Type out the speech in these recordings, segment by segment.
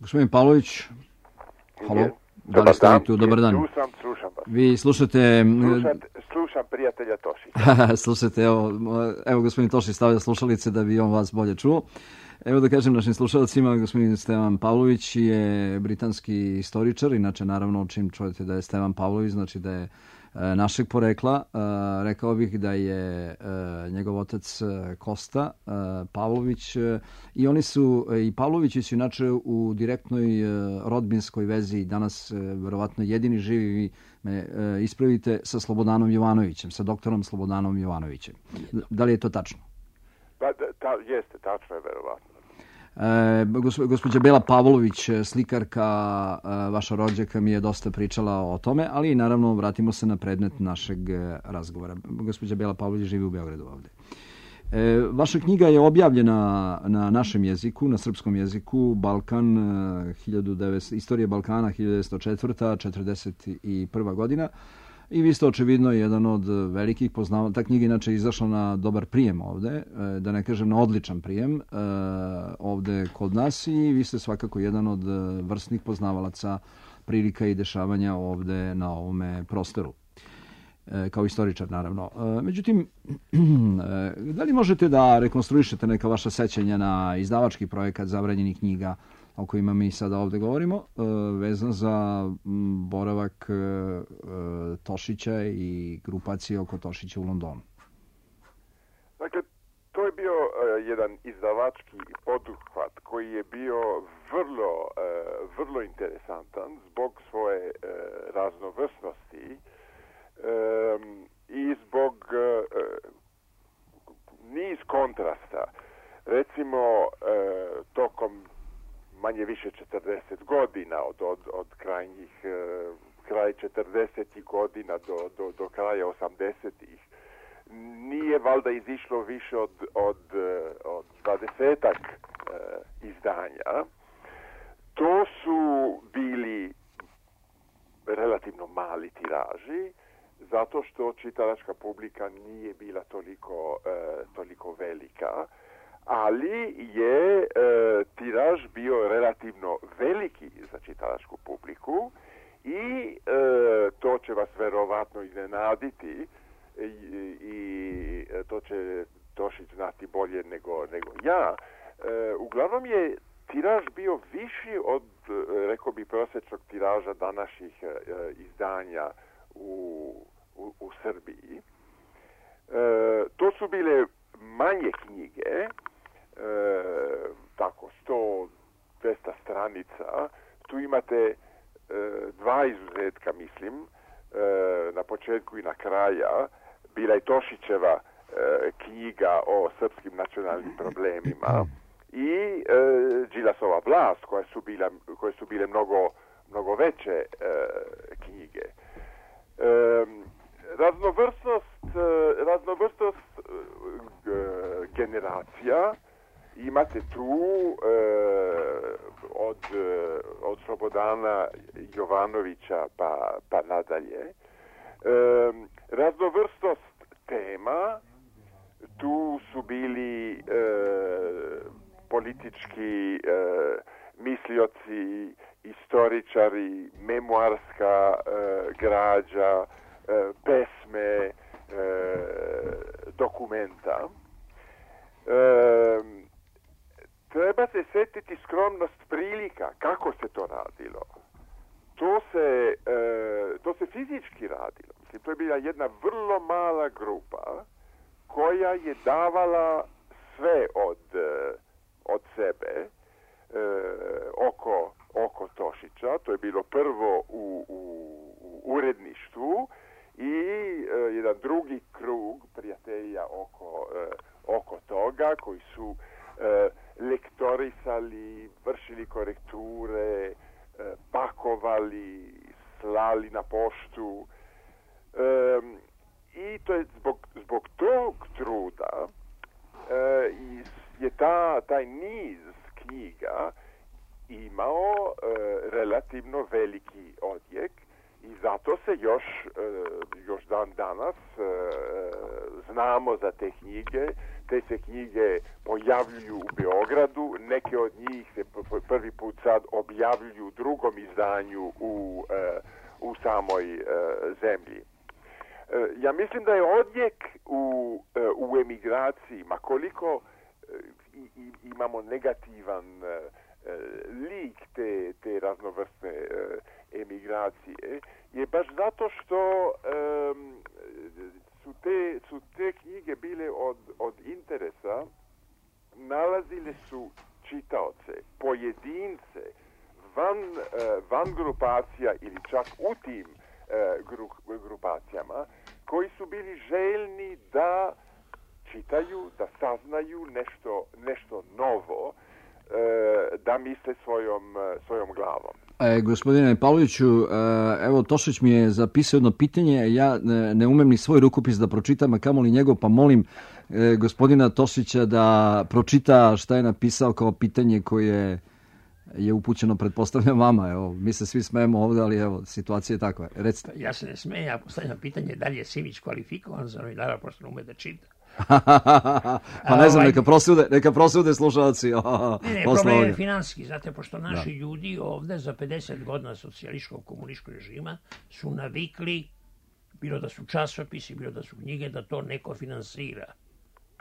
Gospodin Pavlović, halo, da li ste tu? Dobar dan. Slušam vas. Vi slušate... Slušam prijatelja Tošića. Slušajte, evo gospodin Tošić stavlja slušalice da bi on vas bolje čuo. Evo da kažem našim slušalcima, gospodin Stevan Pavlović je britanski istoričar, inače naravno čim čujete da je Stevan Pavlović, znači da je našeg porekla. Rekao bih da je njegov otac Kosta Pavlović i oni su, i Pavlovići su inače u direktnoj rodbinskoj vezi, danas verovatno jedini živi, vi me ispravite, sa Slobodanom Jovanovićem, sa doktorom Slobodanom Jovanovićem. Da li je to tačno? Jeste, tačno je verovatno. Gospođa Bela Pavlović, slikarka, vaša rođaka, mi je dosta pričala o tome, ali naravno vratimo se na predmet našeg razgovora. Gospođa Bela Pavlović živi u Beogradu ovde. Vaša knjiga je objavljena na našem jeziku, na srpskom jeziku, Balkan, Istorija Balkana 1904. 41. godina. I vi ste očevidno jedan od velikih poznavalaca. Ta knjiga inače je izašla na dobar prijem ovde, da ne kažem na odličan prijem ovde kod nas, i vi ste svakako jedan od vrsnih poznavalaca prilika i dešavanja ovde na ovome prostoru. Kao istoričar, naravno. Međutim, da li možete da rekonstruišete neka vaša sećanja na izdavački projekat Zabranjenih knjiga o kojima mi sada ovde govorimo, vezan za boravak Tošića i grupacije oko Tošića u Londonu? Dakle, to je bio jedan izdavački poduhvat koji je bio vrlo interesantan zbog svoje raznovrsnosti i zbog niz kontrasta. Recimo, tokom manje više 40 godina, od kraj 40. godina do kraja 80. Nije valjda izišlo više od 20-ak izdanja. To su bili relativno mali tiraži, zato što čitalačka publika nije bila toliko velika, ali je tiraž bio relativno veliki za čitalačku publiku i to će vas verovatno iznenaditi i to će Tošić znati bolje nego ja. Uglavnom je tiraž bio viši od, rekao bi, prosječnog tiraža današnjih izdanja u Srbiji. To su bile manje knjige, tako 100-200 stranica. Tu imate dva izuzetka, mislim, na početku i na kraja. Bila je Tošićeva knjiga o srpskim nacionalnim problemima i Đilasova vlast, koje su bile mnogo veće knjige. Raznovrsnost generacija imate tu od Slobodana Jovanovića pa nadalje. Raznovrsnost tema, tu su bili politički mislioci, istoričari, memoarska građa, pesme, dokumenta. Treba se sjetiti skromnost prilika, kako se to radilo. To se fizički radilo. Mislim, to je bila jedna vrlo mala grupa koja je davala sve od sebe oko Tošića. To je bilo prvo u uredništvu i jedan drugi krug prijatelja oko toga, koji su lektorisali, vršili korekture, pakovali, slali na poštu. I to je zbog tog truda je taj niz knjiga imao relativno veliki odjek i zato se još dan danas znamo za te knjige. te se knjige pojavljuju u Beogradu, neke od njih se prvi put sad objavljuju u drugom izdanju u samoj zemlji. Ja mislim da je odjek u emigraciji, ma koliko imamo negativan lik te raznovrstne emigracije, je baš zato što su te knjige bile od interesa, nalazile su čitaoce, pojedince, van grupacija ili čak u tim grupacijama, koji su bili željni da čitaju, da saznaju nešto novo, da misle svojom glavom. Gospodine Pavloviću, evo Tošić mi je zapisao jedno pitanje, ja ne umem ni svoj rukopis da pročitam, a kamoli njegov, pa molim gospodina Tošića da pročita šta je napisao kao pitanje koje je upućeno, pretpostavljam, vama. Evo, mi se svi smejemo ovdje, ali evo, situacija je takva. Recite. Ja se ne smejem, ja postavljam pitanje da li je Simić kvalifikovan za novinara, pošto ne ume da čita. Pa ne znam, neka prosude slušalci. Ne, problem je finanski, znate, pošto naši ljudi ovdje za 50 godina socijalističkog komunističkog režima su navikli, bilo da su časopisi, bilo da su knjige, da to neko finansira.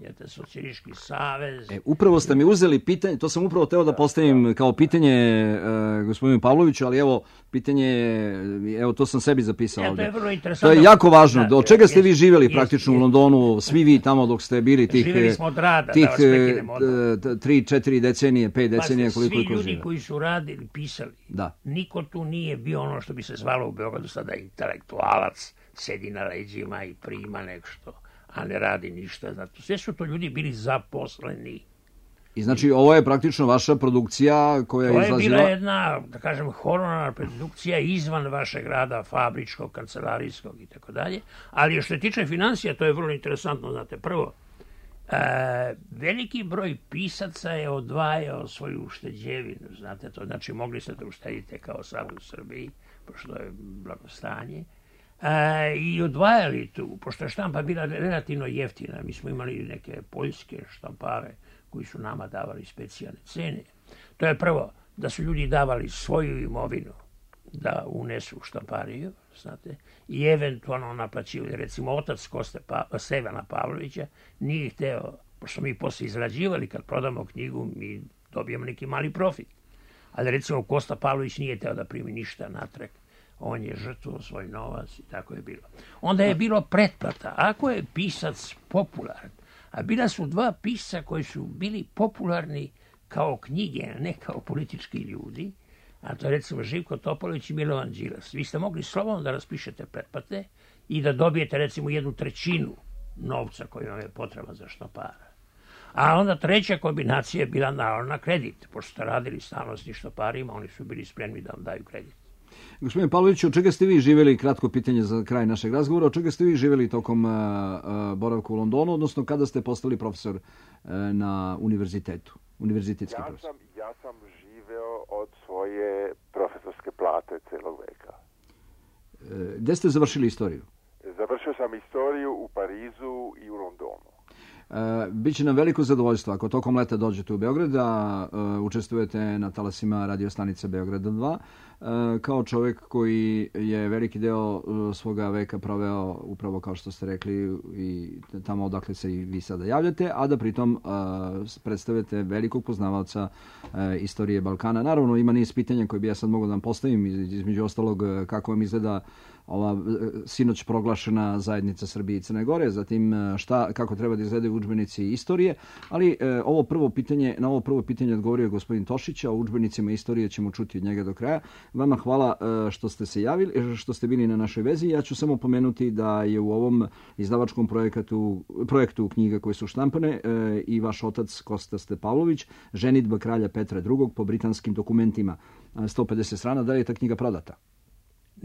Jete, socijalistički savez. Upravo ste mi uzeli pitanje, to sam upravo teo da postavim kao pitanje gospodinu Pavloviću, ali evo, pitanje, evo to sam sebi zapisao ovdje. To je vrlo interesantno. To je jako važno. Od čega ste vi živjeli praktično u Londonu, svi vi tamo dok ste bili tih 3-4 decenije, 5 decenija, koliko svi ljudi koji su radili, pisali, niko tu nije bio ono što bi se zvalo u Beogradu sada intelektualac, sedi na leđima i prima nešto, a ne radi ništa. Zato sve su to ljudi bili zaposleni. I znači ovo je praktično vaša produkcija koja je izlazila... To je bila jedna, da kažem, honorarna produkcija izvan vašeg rada, fabričkog, kancelarijskog i tako dalje. Ali što se tiče financija, to je vrlo interesantno. Znate, prvo, veliki broj pisaca je odvajao svoju ušteđevinu. Znate, to znači mogli ste da uštedite kao sad u Srbiji, pošto je blagostanje. I odvajali tu, pošto je štampa bila relativno jeftina. Mi smo imali neke poljske štampare koji su nama davali specijalne cene. To je prvo, da su ljudi davali svoju imovinu da unesu u štampariju, znate, i eventualno naplaćivali. Recimo, otac Stevana Pavlovića nije hteo, pošto mi posle izrađivali, kad prodamo knjigu, mi dobijemo neki mali profit. Ali recimo, Kosta Pavlović nije hteo da primi ništa natrag. On je žrtvovao svoj novac i tako je bilo. Onda je bilo pretplata. Ako je pisac popularan, a bila su dva pisca koji su bili popularni kao knjige, a ne kao politički ljudi, a to je recimo Živko Topalović i Milovan Đilas. Vi ste mogli slobodno da raspišete pretplate i da dobijete recimo 1/3 novca koji vam je potreban za štampara. A onda treća kombinacija je bila naravno na kredit. Pošto ste radili stalno s štamparima, oni su bili spremni da vam daju kredit. Gospodine Pavloviću, od čega ste vi živjeli, kratko pitanje za kraj našeg razgovora, od čega ste vi živjeli tokom boravka u Londonu, odnosno kada ste postali profesor na univerzitetu, univerzitetski profesor? Ja sam živeo od svoje profesorske plate celog veka. Gde ste završili istoriju? Završio sam istoriju u Parizu i u Londonu. Biće nam veliko zadovoljstvo ako tokom leta dođete u Beograd da učestvujete na talasima radio stanice Beograda 2 kao čovjek koji je veliki deo svoga veka proveo upravo kao što ste rekli i tamo odakle se i vi sada javljate, a da pritom predstavljate velikog poznavaoca istorije Balkana. Naravno ima niz pitanja koje bi ja sad mogao da vam postavim, između ostalog kako vam izgleda ova sinoć proglašena zajednica Srbije i Crne Gore, zatim kako treba da izgledaju udžbenici istorije, ali na ovo prvo pitanje odgovorio gospodin Tošić, a o udžbenicima istorije ćemo čuti od njega do kraja. Vama hvala što ste se javili, što ste bili na našoj vezi. Ja ću samo pomenuti da je u ovom izdavačkom projektu knjiga koje su štampane i vaš otac Kosta Pavlović, ženidba kralja Petra II po britanskim dokumentima, 150 strana. Da li je ta knjiga prodata?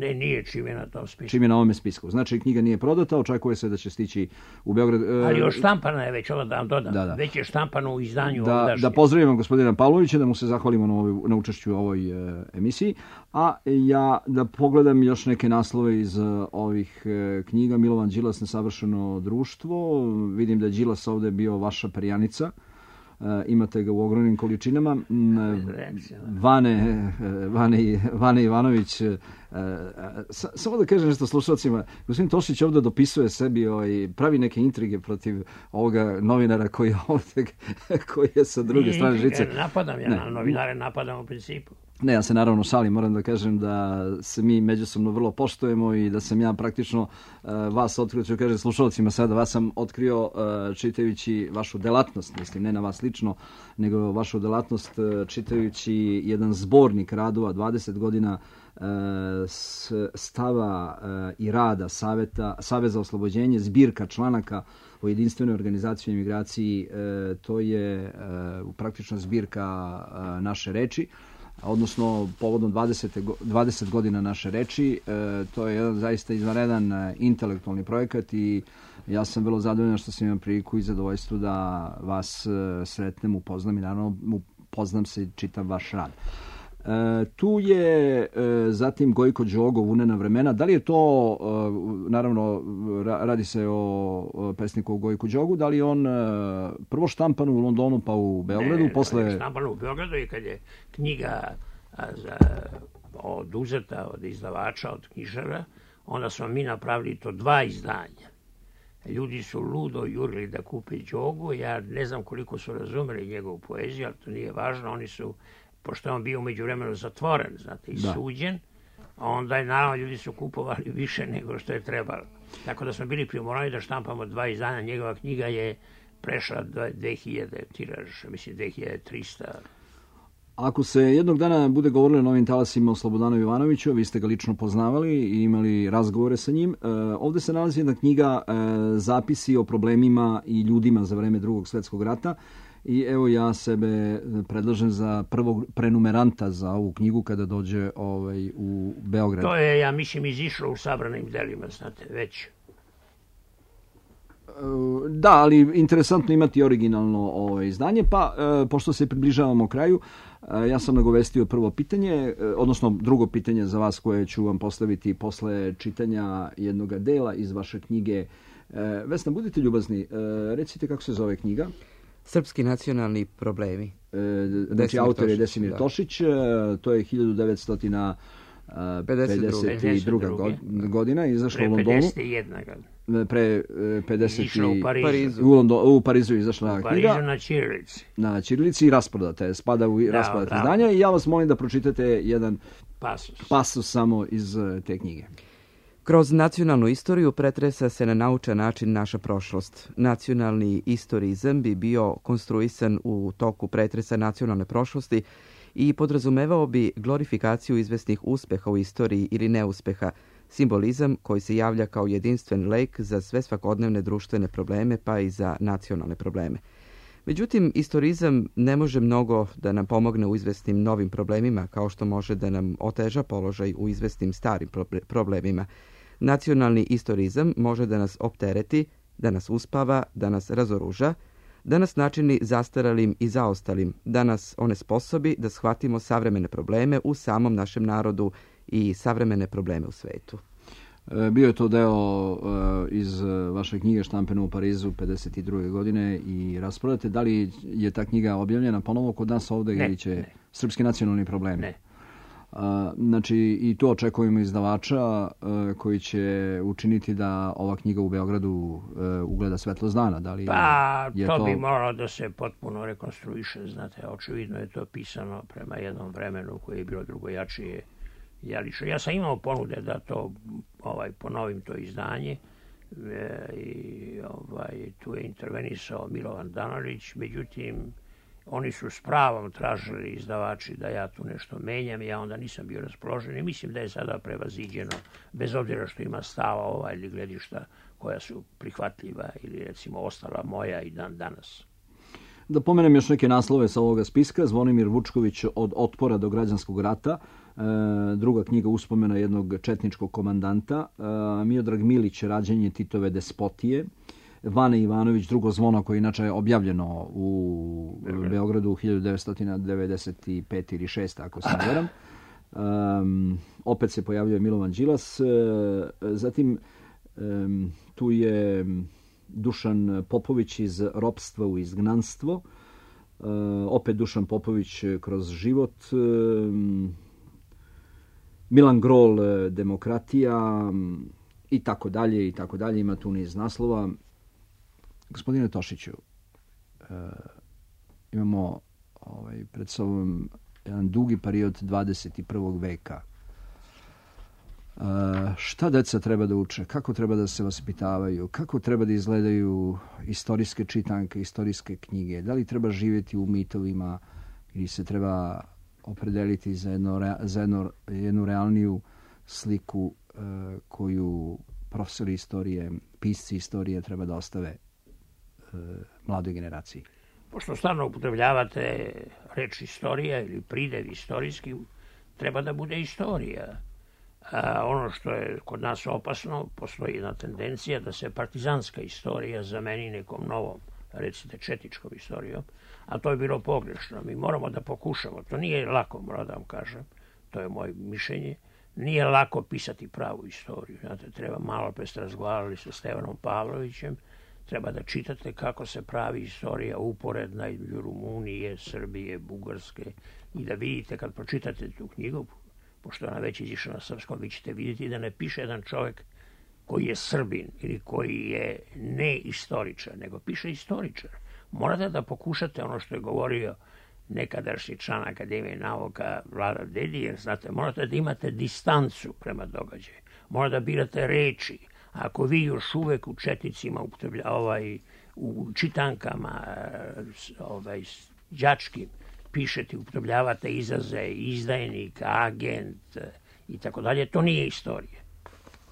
Ne, nije, čim je na tom spisku. Čim je na ovome spisku. Znači, knjiga nije prodata, očekuje se da će stići u Beograd. Ali još štampana je već, ovo da vam dodam. Da. Već je štampano u izdanju Da pozdravimo gospodina Pavlovića, da mu se zahvalimo na učešću u ovoj emisiji. A ja da pogledam još neke naslove iz ovih knjiga. Milovan Đilas, Nesavršeno društvo. Vidim da je Đilas ovde bio vaša perjanica. Imate ga u ogromnim količinama. Vane Ivanović, samo da kažem nešto slušalcima, gospodin Tošić ovdje dopisuje sebi, pravi neke intrige protiv ovoga novinara koji je sa druge strane žice. Napadam, ja novinare napadam u principu. Ne, ja se naravno šalim, moram da kažem da se mi međusobno vrlo poštujemo i da sam ja praktično vas otkrio, ću kažem slušalcima sada, vas sam otkrio čitajući vašu delatnost, mislim, ne na vas lično, nego vašu delatnost čitajući jedan zbornik radova, 20 godina stava i rada Saveza za oslobođenje, zbirka članaka o jedinstvenoj organizaciji i imigraciji, to je praktično zbirka naše reči, odnosno povodom 20 godina naše reči. To je jedan zaista izvanredan intelektualni projekat i ja sam vrlo zadovoljan što sam imao priliku i zadovoljstvo da vas sretnem, upoznam i naravno upoznam se i čitam vaš rad. Tu je zatim Gojko Đogo, Vunena vremena. Da li je to, naravno radi se o pesniku Gojku Đogu, da li je on prvo štampan u Londonu pa u Beogradu? Ne, štampan u Beogradu i kad je knjiga oduzeta od izdavača, od knjižara, onda smo mi napravili to 2 izdanja. Ljudi su ludo jurili da kupe Đogu, ja ne znam koliko su razumeli njegovu poeziju, ali to nije važno, oni su, pošto je on bio u međuvremenu zatvoren, znate, i suđen, onda je naravno ljudi su kupovali više nego što je trebalo. Tako da smo bili primorani da štampamo 2 izdanja, njegova knjiga je prešla 2000 tiraž, mislim 2300. Ako se jednog dana bude govorilo o Novim talasima o Slobodanu Jovanoviću, vi ste ga lično poznavali i imali razgovore sa njim, ovdje se nalazi jedna knjiga zapisi o problemima i ljudima za vreme Drugog svjetskog rata. I evo ja sebe predlažem za prvog prenumeranta za ovu knjigu kada dođe u Beograd. To je, ja mislim, izišlo u sabranim delima, znate, već. Da, ali interesantno imati originalno izdanje, pa pošto se približavamo kraju, ja sam nagovestio prvo pitanje, odnosno drugo pitanje za vas koje ću vam postaviti posle čitanja jednog dela iz vaše knjige. Vesna, budite ljubazni, recite kako se zove knjiga. Srpski nacionalni problemi. Znači, autor je Desimir Tošić, to je 1952. godina, izašla u Londonu. 51 godina. Pre 50 u Parizu izašla knjiga. U Parizu na ćirilici. Na ćirilici i rasprodata je, spada u rasprodata izdanja i ja vas molim da pročitate jedan pasus samo iz te knjige. Kroz nacionalnu istoriju pretresa se na naučan način naša prošlost. Nacionalni istorizam bi bio konstruisan u toku pretresa nacionalne prošlosti i podrazumevao bi glorifikaciju izvesnih uspeha u istoriji ili neuspeha, simbolizam koji se javlja kao jedinstven lek za sve svakodnevne društvene probleme pa i za nacionalne probleme. Međutim, istorizam ne može mnogo da nam pomogne u izvesnim novim problemima, kao što može da nam oteža položaj u izvesnim starim problemima. Nacionalni istorizam može da nas optereti, da nas uspava, da nas razoruža, da nas načini zastaralim i zaostalim, da nas onesposobi da shvatimo savremene probleme u samom našem narodu i savremene probleme u svetu. Bio je to deo iz vaše knjige štampane u Parizu 52. godine i rasprodate. Da li je ta knjiga objavljena ponovo kod nas ovdje ili će Srpski nacionalni problemi? Ne. Znači i to očekujemo izdavača koji će učiniti da ova knjiga u Beogradu ugleda svetlost dana. Da li to bi moralo da se potpuno rekonstruiše, znate, očevidno je to pisano prema jednom vremenu koje je bilo drugojačije. Ja sam imao ponude da to ponovim to izdanje i tu je intervenisao Milovan Danalić, međutim oni su s pravom tražili izdavači da ja tu nešto menjam, ja onda nisam bio raspoložen i mislim da je sada prevaziđeno, bez obzira što ima stava ili gledišta koja su prihvatljiva ili recimo ostala moja i dan danas. Da pomenem još neke naslove sa ovoga spiska. Zvonimir Vučković, Od otpora do građanskog rata, druga knjiga uspomena jednog četničkog komandanta, Miodrag Milić, Rađenje Titove despotije, Vane Ivanović, Drugo zvono, koje inače je objavljeno u Beogradu 1995 ili 6, ako se ne varam. Opet se pojavljuje Milovan Đilas. Zatim tu je Dušan Popović iz Ropstva u izgnanstvo. Opet Dušan Popović Kroz život. Milan Grol, Demokratija i tako dalje i tako dalje. Ima tu niz naslova. Gospodine Tošiću, imamo pred sobom jedan dugi period 21. veka. Šta deca treba da uče? Kako treba da se vaspitavaju? Kako treba da izgledaju istorijske čitanke, istorijske knjige? Da li treba živjeti u mitovima ili se treba opredeliti za jednu realniju sliku koju profesori istorije, pisci istorije treba da ostave mladoj generaciji? Pošto stalno upotrebljavate reč istorija ili pridev istorijski, treba da bude istorija. Ono što je kod nas opasno, postoji jedna tendencija da se partizanska istorija zameni nekom novom, recite četničkom istorijom, a to je bilo pogrešno. Mi moramo da pokušamo, to nije lako, moram da vam kažem, to je moje mišljenje, nije lako pisati pravu istoriju. Znate, treba, malo pre ste razgovarali sa Stevanom Pavlovićem, treba da čitate kako se pravi istorija uporedna između Rumunije, Srbije, Bugarske i da vidite kad pročitate tu knjigu, pošto ona već izišla na srpskom, vi ćete vidjeti da ne piše jedan čovjek koji je Srbin ili koji je ne istoričar, nego piše istoričar. Morate da pokušate ono što je govorio nekadašnji član Akademije nauka Vlada Dedijer, znate, morate da imate distancu prema događaju, morate da birate reči. Ako vi još uvek u četnicima, u čitankama đačkim pišete, upotrebljavate izraze izdajnik, agent i tako dalje, to nije istorija.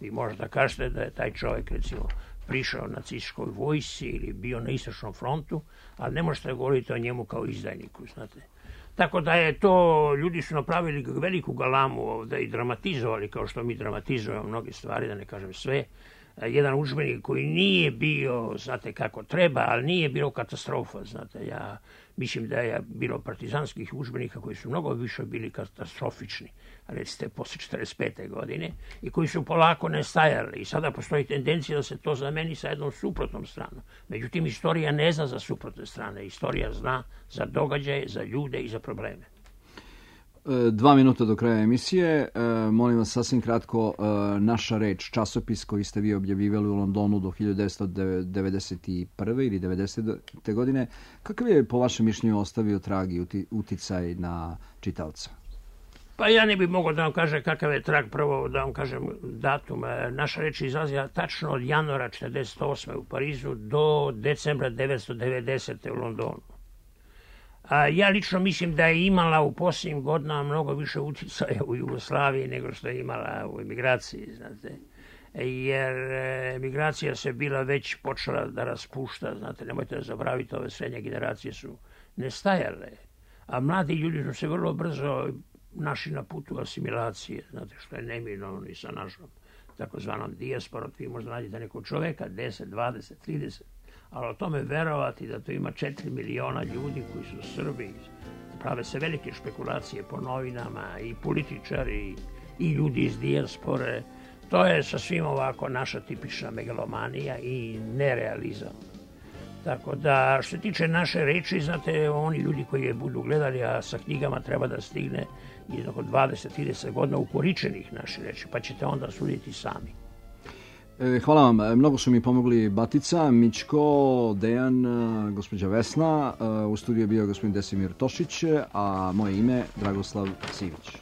Vi možete da kažete da je taj čovjek, recimo, prišao nacističkoj vojsci ili bio na istočnom frontu, ali ne možete da govorite o njemu kao izdajniku, znate. Tako da je to, ljudi su napravili veliku galamu ovde i dramatizovali, kao što mi dramatizujemo mnoge stvari, da ne kažem sve. Jedan udžbenik koji nije bio, znate kako treba, ali nije bilo katastrofa, znate. Ja mislim da je bilo partizanskih udžbenika koji su mnogo više bili katastrofični, recite posle 45. godine, i koji su polako nestajali. I sada postoji tendencija da se to zameni sa jednom suprotnom stranom. Međutim, istorija ne zna za suprotne strane. Istorija zna za događaje, za ljude i za probleme. 2 minuta do kraja emisije. Molim vas sasvim kratko, Naša reč, časopis koji ste vi objavljivali u Londonu do 1991. ili 90. godine. Kakav je po vašem mišljenju ostavio trag i uticaj na čitaoca? Pa ja ne bih mogao da vam kažem kakav je trag, prvo da vam kažem datum. Naša reč je izlazila tačno od januara 1948. u Parizu do decembra 1990. u Londonu. Ja lično mislim da je imala u posljednjim godinama mnogo više uticaja u Jugoslaviji nego što je imala u emigraciji, znate. Jer emigracija se bila već počela da raspušta, znate, nemojte da zabravite, ove srednje generacije su nestajale, a mladi ljudi su se vrlo brzo našli na putu asimilacije, znate, što je neminovno i sa našom takozvanom dijasporom. Vi možda nađete nekog čoveka, 10, 20, 30, ali o tome verovati da to ima 4 miliona ljudi koji su Srbi, prave se velike špekulacije po novinama i političari i ljudi iz dijaspore. To je sasvim ovako naša tipična megalomanija i nerealizam. Tako da, što se tiče naše reči, znate, oni ljudi koji je budu gledali, a sa knjigama treba da stigne jednog od 20-30 godina ukoričenih naše reči, pa ćete onda suditi sami. Hvala vam. Mnogo su mi pomogli Batica, Mićko, Dejan, gospođa Vesna. U studiju je bio gospodin Desimir Tošić, a moje ime Dragoslav Sivić.